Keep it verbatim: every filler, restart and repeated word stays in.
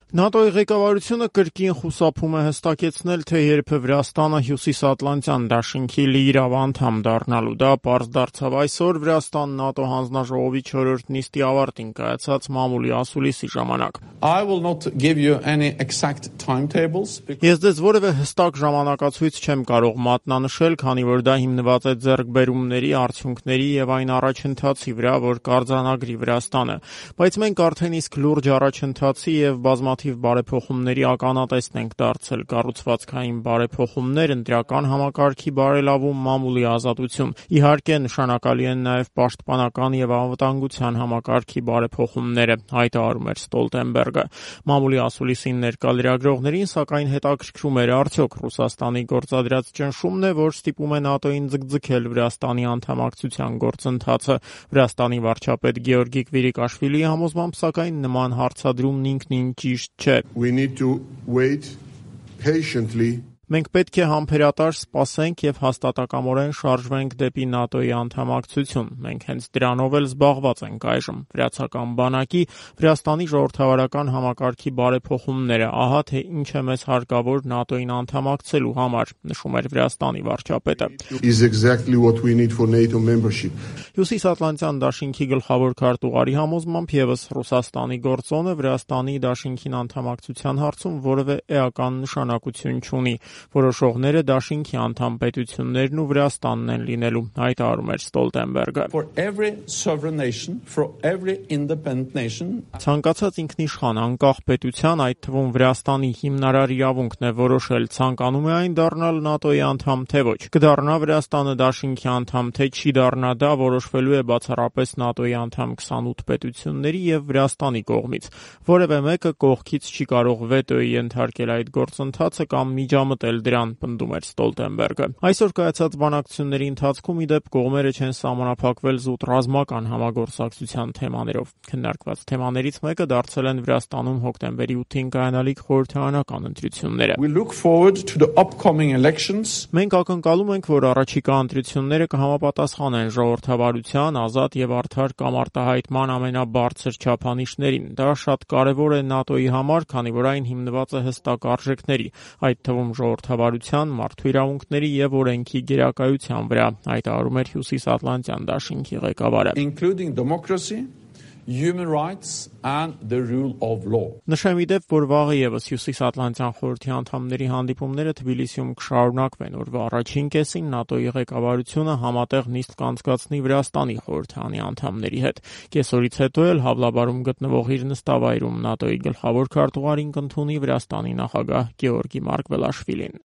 ՆԱՏՕ-ի ղեկավարությունը կրկին խուսափում է հստակեցնել, թե երբ է Վրաստանը Հյուսիսատլանտյան դաշինքի լիիրավ անդամ դառնալու։ Դա պարզ դարձավ այսօր Վրաստան ՆԱՏՕ հանձնաժողովի չորրորդ նիստի ավարտին կայացած մամուլի ասուլիսի ժամանակ։ I will not give you any exact timetables. Ես ձեզ որևէ հստակ ժամանակացույց չեմ կարող մատնանշել, քանի որ դա հիմնված է ձեռքբերումների, արդյունքների եւ այն առաջընթացի վրա, որ կարձանագրի Վրաստանը։ Բայց մենք արդեն իսկ լուրջ առաջընթացի եւ բազմաթիվ բարեփոխումների ականատեսն ենք դարձել, կառուցվածքային բարեփոխումներ, ընտրական համակարգի բարելավում, մամուլի ազատություն։ Իհարկե, նշանակալի են նաեւ պաշտպանական եւ անվտանգության համակարգի բարեփոխումները, հայտարարում էր Ստոլտենբերգը։ Մամուլի ասուլիսին ներկա լրագրողներին, սակայն հետաքրքրում էր արդյոք Ռուսաստանի գործադրած ճնշումն է, որ ստիպում է ՆԱՏՕ-ին ձգձգել Վրաստանի անդամակցության գործընթացը։ Վրաստանի վարչապետ Գեորգի Կվիրիկաշվիլիի համոզմամբ, սակայն նման հարցադրումն ինքնին ճիշտ չէ։ We need to wait patiently. Մենք պետք է համբերատար սպասենք եւ հաստատակամորեն շարժվենք դեպի ՆԱՏՕ-ի անդամակցություն։ Մենք հենց դրանով էլ զբաղված ենք այժմ։ Վրացական բանակի, Վրաստանի ժողովրդավարական համակարգի բարեփոխումները, ահա թե ինչ է մեզ հարկավոր ՆԱՏՕ-ին անդամակցելու համար, նշում էր Վրաստանի վարչապետը։ Is exactly what we need for NATO membership. Հյուսիսատլանտյան դաշինքի գլխավոր քարտուղարի համոզմամբ եւս Ռուսաստանի գործոնը Վրաստանի դաշինքին անդամակցության հարցում որևէ էական նշանակություն չունի։ Որոշողները դաշինքի անդամ պետություններն ու Վրաստանն են լինելու, հայտարարում էր Ստոլտենբերգը։ For every sovereign nation, for every independent nation. Ցանկացած ինքնիշխան անկախ պետության, այդ թվում Վրաստանի հիմնարար իրավունքն է որոշել ցանկանում է այն դառնալ ՆԱՏՕ-ի անդամ թե ոչ։ Կդառնա Վրաստանը դաշինքի անդամ թե չի դառնա, դա որոշվելու է բացառապես ՆԱՏՕ-ի անդամ քսանութ պետությունների եւ Վրաստանի կողմից։ Որևէ մեկը կողքից չի կարող վետոյի ենթարկել այդ գործընթացը կամ միջամտել դրան, պնդում էր Ստոլտենբերգը։ Այսօր կայացած բանակցությունների ընթացքում իդեպ կողմերը չեն սահմանափակվել զուտ ռազմական համագործակցության թեմաներով։ Քննարկված թեմաներից մեկը դարձել են Վրաստանում հոկտեմբերի ութին կայանալիք խորհրդարանական ընտրությունները։ We look forward to the upcoming elections. Մենք ակնկալում ենք, որ առաջիկա ընտրությունները կհամապատասխանեն ժողովրդավարության, ազատ եւ արդար կամարտահայտման ամենաբարձր չափանիշներին։ Դա շատ կարեւոր է ՆԱՏՕ-ի համար, քանի որ այն հիմնված է հստակ արժեքների, այդ թվում ժողովրդավարության, մարդու իրավունքների եւ օրենքի գերակայության վրա, հայտարարում էր Հյուսիսատլանտյան դաշինքի ղեկավարը։ Including democracy, human rights and the rule of law. Նշեմ իդեպ, որ վաղը եւս Հյուսիսատլանտյան խորհրդի անդամների հանդիպումները Թբիլիսիում կշարունակվեն, օրվա առաջին կեսին ՆԱՏՕ-ի ղեկավարությունը համատեղ նիստ կանցկացնի Վրաստանի խորհրդանի անդամների հետ։ Կեսօրից հետո էլ Հավլաբարում գտնվող իր նստավայրում ՆԱՏՕ-ի գլխավոր քարտուղարին կընդունի Վրաստանի նախագահ Գեորգի Մարկվելաշվիլին։